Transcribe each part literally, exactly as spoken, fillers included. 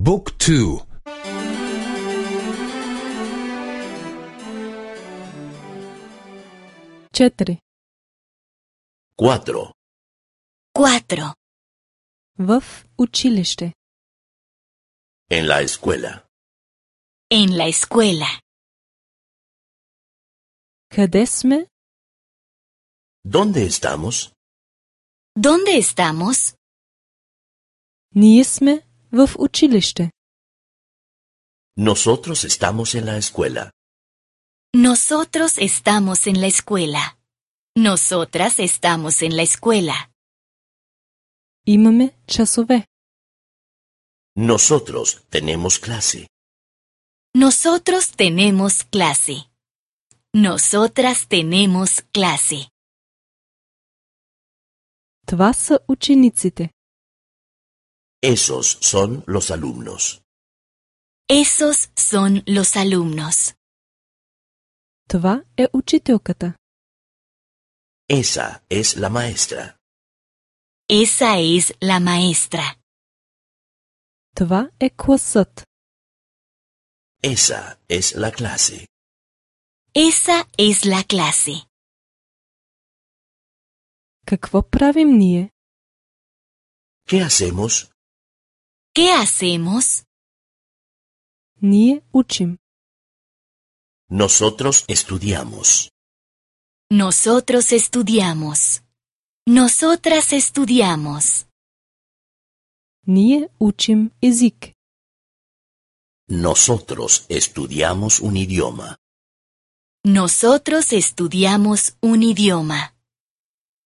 บุ๊กทูчетири Cuatro. Cuatro. в училище. En la escuela. En la escuela. Къде сме? ¿Dónde estamos? ¿Dónde estamos? Ние сме в училище. Nosotros estamos en la escuela. Nosotros estamos en la escuela. Nosotras estamos en la escuela. Имаме часове. Nosotros tenemos clase. Nosotros tenemos clase. Nosotras tenemos clase. Това са учениците. Esos son los alumnos. Esos son los alumnos. Това е учителката. Esa es la maestra. Esa es la maestra. Това е класът. Esa es la clase. Esa es la clase. Какво правим ние? ¿Qué hacemos? ¿Qué hacemos? Ние учим. Nosotros estudiamos. Nosotros estudiamos. Nosotras estudiamos. Ние учим език. Nosotros estudiamos un idioma. Nosotros estudiamos un idioma.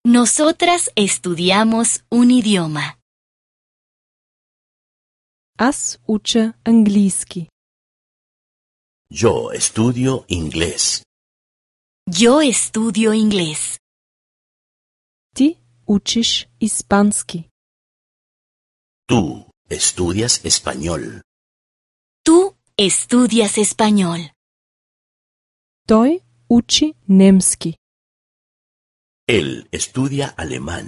Nosotras estudiamos un idioma. Аз уча английски. Yo estudio inglés. Yo estudio inglés. Ти учиш испански. Tú estudias español. Tú estudias español. Той учи немски. Él estudia alemán.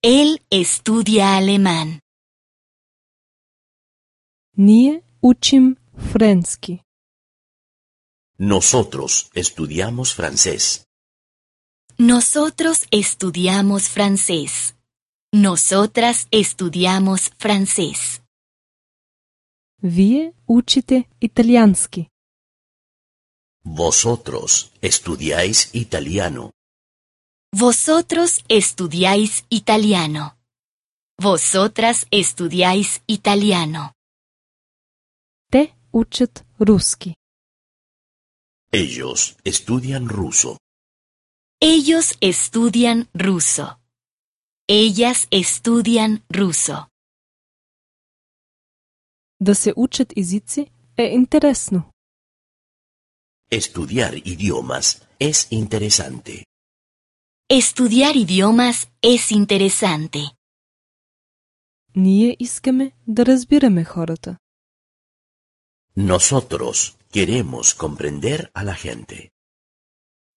Él estudia alemán. Ние учим френски. Nosotros estudiamos francés. Nosotros estudiamos francés. Nosotras estudiamos francés. Вие учите италиански. Vosotros estudiáis italiano. Vosotros estudiáis italiano. Vosotras estudiáis italiano. Те учат руски. Ellos estudian ruso. Ellos estudian ruso. Ellas estudian ruso. Да се учат езици е интересно. Estudiar idiomas es interesante. Estudiar idiomas es interesante. Ние искаме да разбираме хората. Nosotros queremos comprender a la gente.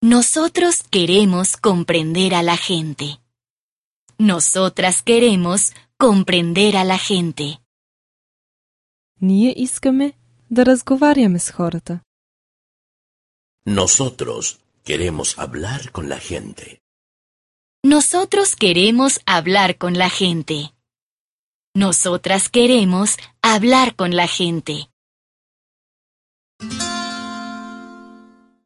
Nosotros queremos comprender a la gente. Nosotras queremos comprender a la gente. Ние искаме да разговаряме с хората. Nosotros queremos hablar con la gente. Nosotros queremos hablar con la gente. Nosotras queremos hablar con la gente.